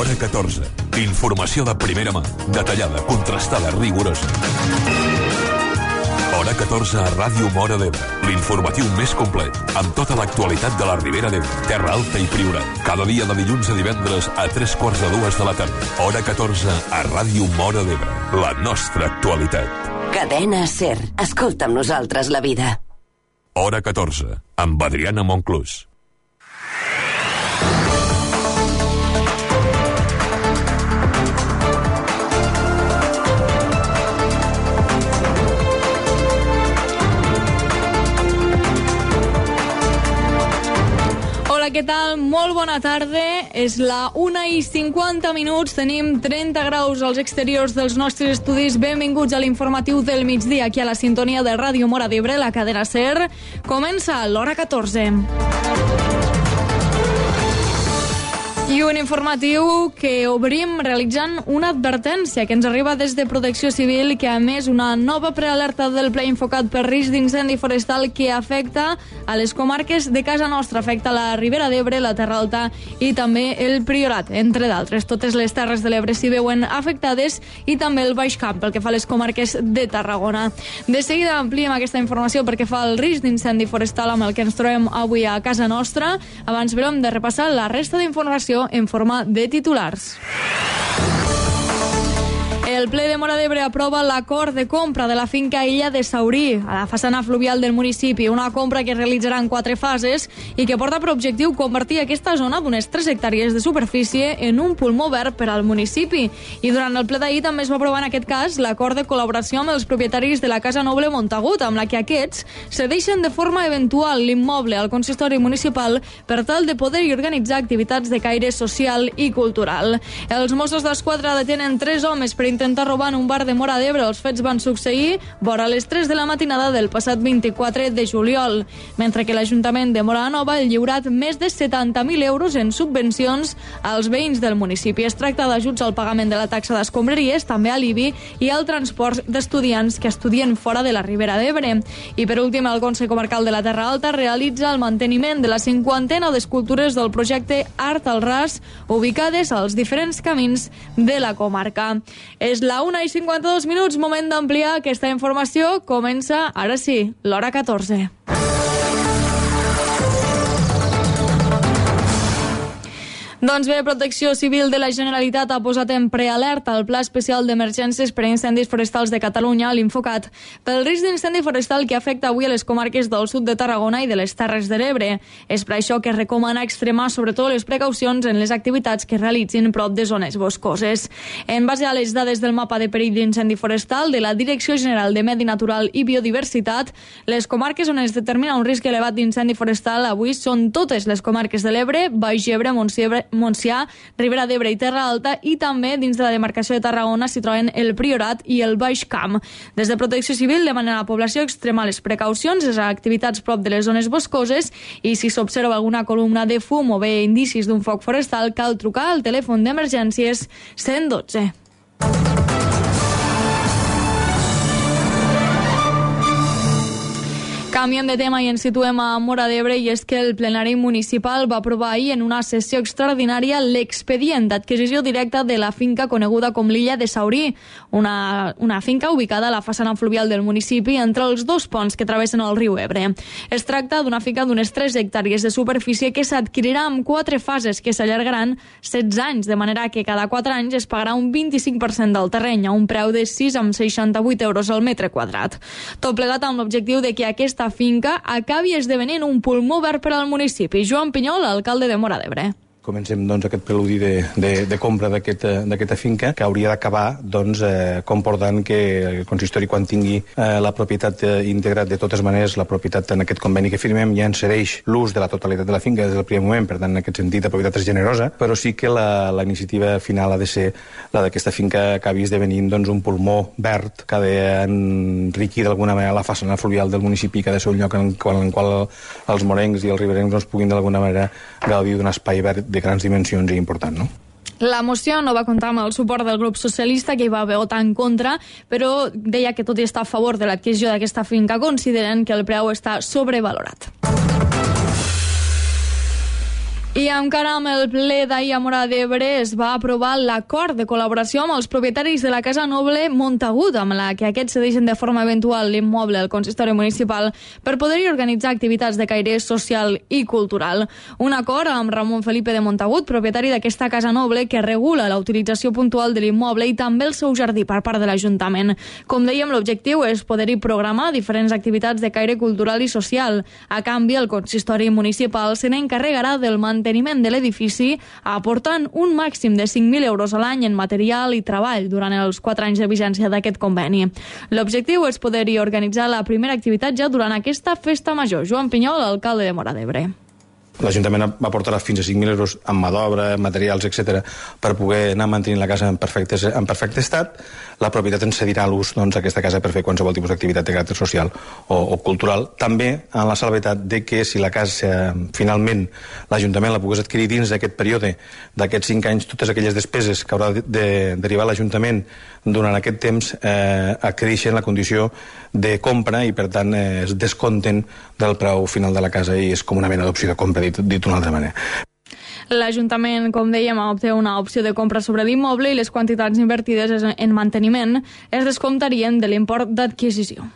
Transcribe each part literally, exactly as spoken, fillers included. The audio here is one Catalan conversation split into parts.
Hora catorze. Informació de primera mà, detallada, contrastada, rigorosa. Hora catorze a Ràdio Móra d'Ebre. L'informatiu més complet, amb tota l'actualitat de la Ribera d'Ebre, Terra Alta i Priorat. Cada dia de dilluns a divendres a tres quarts de dues de la tarda. Hora catorze a Ràdio Móra d'Ebre. La nostra actualitat. Cadena SER. Escolta amb nosaltres la vida. Hora catorze, amb Adriana Monclús. Hola, què tal? Molt bona tarda. És la una i cinquanta minuts. Tenim trenta graus als exteriors dels nostres estudis. Benvinguts a l'informatiu del migdia, aquí a la sintonia de Ràdio Móra d'Ebre, la cadena SER. Comença l'Hora catorze. I un informatiu que obrim realitzant una advertència que ens arriba des de Protecció Civil, que a més una nova prealerta del ple infocat per risc d'incendi forestal que afecta a les comarques de casa nostra, afecta la Ribera d'Ebre, la Terra Alta i també el Priorat, entre d'altres. Totes les Terres de l'Ebre s'hi veuen afectades i també el Baix Camp, pel que fa a les comarques de Tarragona. De seguida ampliem aquesta informació perquè fa el risc d'incendi forestal amb el que ens trobem avui a casa nostra. Abans, però, hem de repassar la resta d'informació en forma de titulars. El ple de Móra d'Ebre aprova l'acord de compra de la finca Illa de Saurí, a la façana fluvial del municipi, una compra que es realitzarà en quatre fases i que porta per objectiu convertir aquesta zona d'unes tres hectàrees de superfície en un pulmó verd per al municipi. I durant el ple d'ahir també es va aprovar en aquest cas l'acord de col·laboració amb els propietaris de la Casa Noble Montagut, amb la que aquests cedeixen de forma eventual l'immoble al consistori municipal per tal de poder-hi organitzar activitats de caire social i cultural. Els Mossos d'Esquadra detenen tres homes per intentar robar en un bar de Móra d'Ebre. Els fets van succeir vora les tres de la matinada del passat vint-i-quatre de juliol, mentre que l'Ajuntament de Móra Nova ha lliurat més de setanta mil euros en subvencions als veïns del municipi. Es tracta d'ajuts al pagament de la taxa d'escombraries, també a l'I B I i al transport d'estudiants que estudien fora de la Ribera d'Ebre. I per últim, el Consell Comarcal de la Terra Alta realitza el manteniment de la cinquantena d'escultures del projecte Art al Ras, ubicades als diferents camins de la comarca. És la una i cinquanta-dos minuts, moment d'ampliar aquesta informació. Comença, ara sí, l'Hora catorze. Doncs bé, Protecció Civil de la Generalitat ha posat en prealerta el Pla Especial d'Emergències per a Incendis Forestals de Catalunya, l'Infocat, pel risc d'incendi forestal que afecta avui a les comarques del sud de Tarragona i de les Terres de l'Ebre. És per això que recomana extremar sobretot les precaucions en les activitats que realitzin prop de zones boscoses. En base a les dades del mapa de perill d'incendi forestal de la Direcció General de Medi Natural i Biodiversitat, les comarques on es determina un risc elevat d'incendi forestal avui són totes les comarques de l'Ebre, Baix Ebre, Montsià, Montsià, Ribera d'Ebre i Terra Alta, i també dins de la demarcació de Tarragona s'hi troben el Priorat i el Baix Camp. Des de Protecció Civil demanen a la població extremar les precaucions, les activitats prop de les zones boscoses, i si s'observa alguna columna de fum o bé indicis d'un foc forestal, cal trucar al telèfon d'emergències cent dotze. Canviem de tema i ens situem a Móra d'Ebre, i és que el plenari municipal va aprovar ahir en una sessió extraordinària l'expedient d'adquisició directa de la finca coneguda com l'Illa de Saurí, una, una finca ubicada a la façana fluvial del municipi entre els dos ponts que travessen el riu Ebre. Es tracta d'una finca d'unes tres hectàrees de superfície que s'adquirirà en quatre fases que s'allargaran setze anys, de manera que cada quatre anys es pagarà un vint-i-cinc per cent del terreny a un preu de sis coma seixanta-vuit euros al metre quadrat. Tot plegat amb l'objectiu de que aquesta finca acabi esdevenint un pulmó verd per al municipi. Joan Pinyol, alcalde de Móra d'Ebre. Comencem doncs, aquest preludi de, de, de compra d'aquesta finca, que hauria d'acabar doncs, eh, comportant que el consistori, quan tingui eh, la propietat eh, íntegra, de totes maneres, la propietat en aquest conveni que firmem ja en cedeix l'ús de la totalitat de la finca des del primer moment, per tant, en aquest sentit, la propietat és generosa, però sí que la, la iniciativa final ha de ser la d'aquesta finca acabi esdevenint doncs, un pulmó verd que ha d'enriquir d'alguna manera la façana fluvial del municipi, que ha de ser un lloc en, en el qual els morencs i els riberencs doncs, puguin d'alguna manera gaudir d'un espai verd de grans dimensions i important, no? La moció no va comptar amb el suport del grup socialista, que hi va votar en contra, però deia que tot i estar a favor de l'adquisició d'aquesta finca, consideren que el preu està sobrevalorat. I encara amb el ple d'ahir a Móra d'Ebre es va aprovar l'acord de col·laboració amb els propietaris de la Casa Noble Montagut, amb la que aquests cedeixen de forma eventual l'immoble al consistori municipal per poder-hi organitzar activitats de caire social i cultural. Un acord amb Ramon Felipe de Montagut, propietari d'aquesta Casa Noble, que regula la utilització puntual de l'immoble i també el seu jardí per part de l'Ajuntament. Com dèiem, l'objectiu és poder-hi programar diferents activitats de caire cultural i social. A canvi, el consistori municipal se n'encarregarà del manteniment de l'edifici, aportant un màxim de cinc mil euros a l'any en material i treball durant els quatre anys de vigència d'aquest conveni. L'objectiu és poder-hi organitzar la primera activitat ja durant aquesta festa major. Joan Pinyol, alcalde de Móra d'Ebre. L'Ajuntament aportarà fins a cinc mil euros en mà d'obra, materials, etcètera, per poder anar mantenint la casa en perfecte, en perfecte estat. La propietat ens cedirà l'ús doncs, d'aquesta casa per fer qualsevol tipus d'activitat de caràcter social o, o cultural. També en la salvetat de que si la casa finalment l'Ajuntament la pogués adquirir dins d'aquest període, d'aquests cinc anys, totes aquelles despeses que haurà de, de derivar l'Ajuntament durant aquest temps eh, adquireixen la condició de compra i per tant eh, es descompten del preu final de la casa i és com una mena d'opció de compra, dit, dit d'una altra manera. L'Ajuntament, com dèiem, obté una opció de compra sobre l'immoble i les quantitats invertides en manteniment es descomptarien de l'import d'adquisició.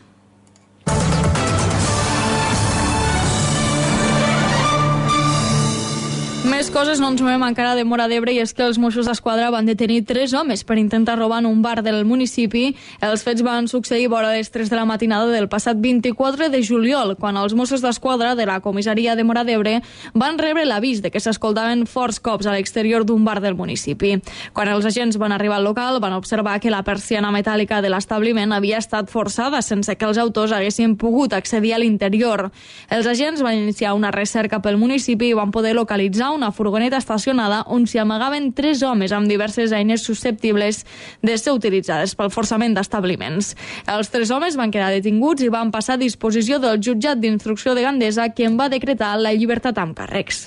Més coses, no ens movem encara de Móra d'Ebre, i és que els Mossos d'Esquadra van detenir tres homes per intentar robar en un bar del municipi. Els fets van succeir vora les tres de la matinada del passat vint-i-quatre de juliol, quan els Mossos d'Esquadra de la comissaria de Móra d'Ebre van rebre l'avís de que s'escoltaven forts cops a l'exterior d'un bar del municipi. Quan els agents van arribar al local, van observar que la persiana metàl·lica de l'establiment havia estat forçada sense que els autors haguessin pogut accedir a l'interior. Els agents van iniciar una recerca pel municipi i van poder localitzar una furgoneta estacionada on s'hi amagaven tres homes amb diverses eines susceptibles de ser utilitzades pel forçament d'establiments. Els tres homes van quedar detinguts i van passar a disposició del jutjat d'instrucció de Gandesa, que en va decretar la llibertat amb càrrecs.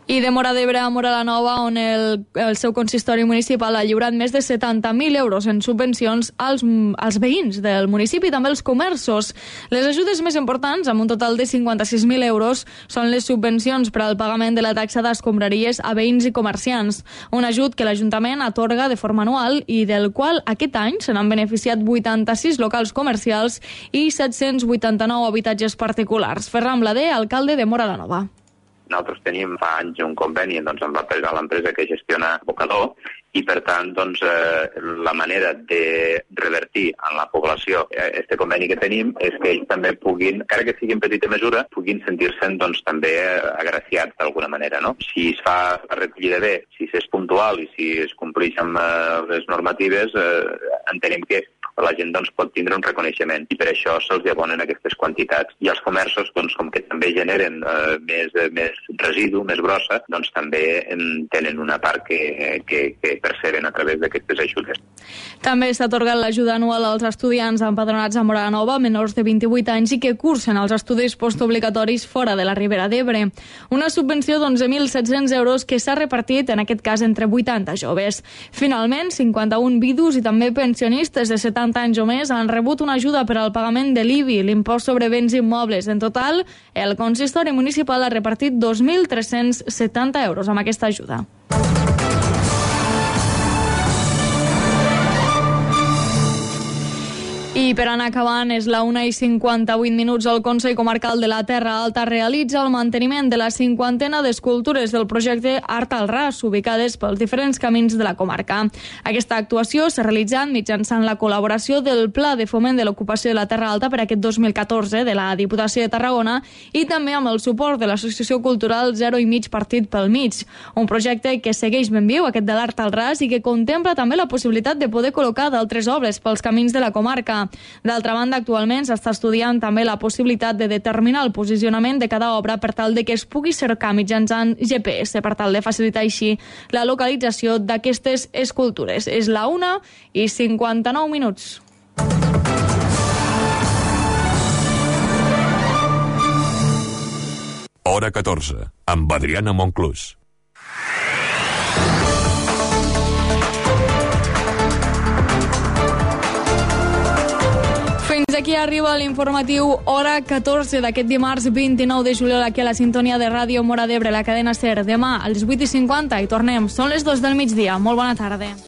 I de Móra d'Ebre a Móra la Nova, on el, el seu consistori municipal ha lliurat més de setanta mil euros en subvencions als, als veïns del municipi i també als comerços. Les ajudes més importants, amb un total de cinquanta-sis mil euros, són les subvencions per al pagament de la taxa d'escombraries a veïns i comerciants, un ajut que l'Ajuntament atorga de forma anual i del qual aquest any se n'han beneficiat vuitanta-sis locals comercials i set-cents vuitanta-nou habitatges particulars. Ferran Blader, alcalde de Móra la Nova. Nosaltres tenim fa anys un conveni doncs, amb l'empresa que gestiona Bocador i, per tant, doncs, eh, la manera de revertir en la població este conveni que tenim és que ells també puguin, encara que sigui en petita mesura, puguin sentir-se'n doncs, també agraciats d'alguna manera. No? Si es fa la recollida bé, si és puntual i si es compleix amb eh, les normatives, eh, entenem que la gent doncs, pot tindre un reconeixement i per això se'ls abonen aquestes quantitats. I els comerços, doncs, com que també generen eh, més, eh, més residu, més brossa, doncs també eh, tenen una part que, que, que perceben a través d'aquestes ajudes. També s'ha atorgat l'ajuda anual als estudiants empadronats a Móra la Nova, menors de vint-i-vuit anys i que cursen els estudis postobligatoris fora de la Ribera d'Ebre. Una subvenció d'onze mil set-cents euros que s'ha repartit, en aquest cas, entre vuitanta joves. Finalment, cinquanta-un vidus i també pensionistes de setanta anys o més han rebut una ajuda per al pagament de l'I B I, l'impost sobre béns immobles. En total, el consistori municipal ha repartit dos mil tres-cents setanta euros amb aquesta ajuda. I per anar acabant, és la una i cinquanta-vuit minuts. El Consell Comarcal de la Terra Alta realitza el manteniment de la cinquantena d'escultures del projecte Art al Ras, ubicades pels diferents camins de la comarca. Aquesta actuació s'ha realitzat mitjançant la col·laboració del Pla de Foment de l'Ocupació de la Terra Alta per aquest dos mil catorze de la Diputació de Tarragona i també amb el suport de l'Associació Cultural Zero i Mig Partit pel Mig. Un projecte que segueix ben viu, aquest de l'Art al Ras, i que contempla també la possibilitat de poder col·locar d'altres obres pels camins de la comarca. D'altra banda, actualment s'està estudiant també la possibilitat de determinar el posicionament de cada obra per tal de que es pugui cercar mitjançant G P S, per tal de facilitar així la localització d'aquestes escultures. És la una i cinquanta-nou minuts. Hora catorze, amb Adriana Monclús. Fins aquí arriba l'informatiu Hora catorze d'aquest dimarts vint-i-nou de juliol aquí a la sintonia de Ràdio Móra d'Ebre, la cadena SER. Demà a les vuit i cinquanta i tornem. Són les dos del migdia. Molt bona tarda.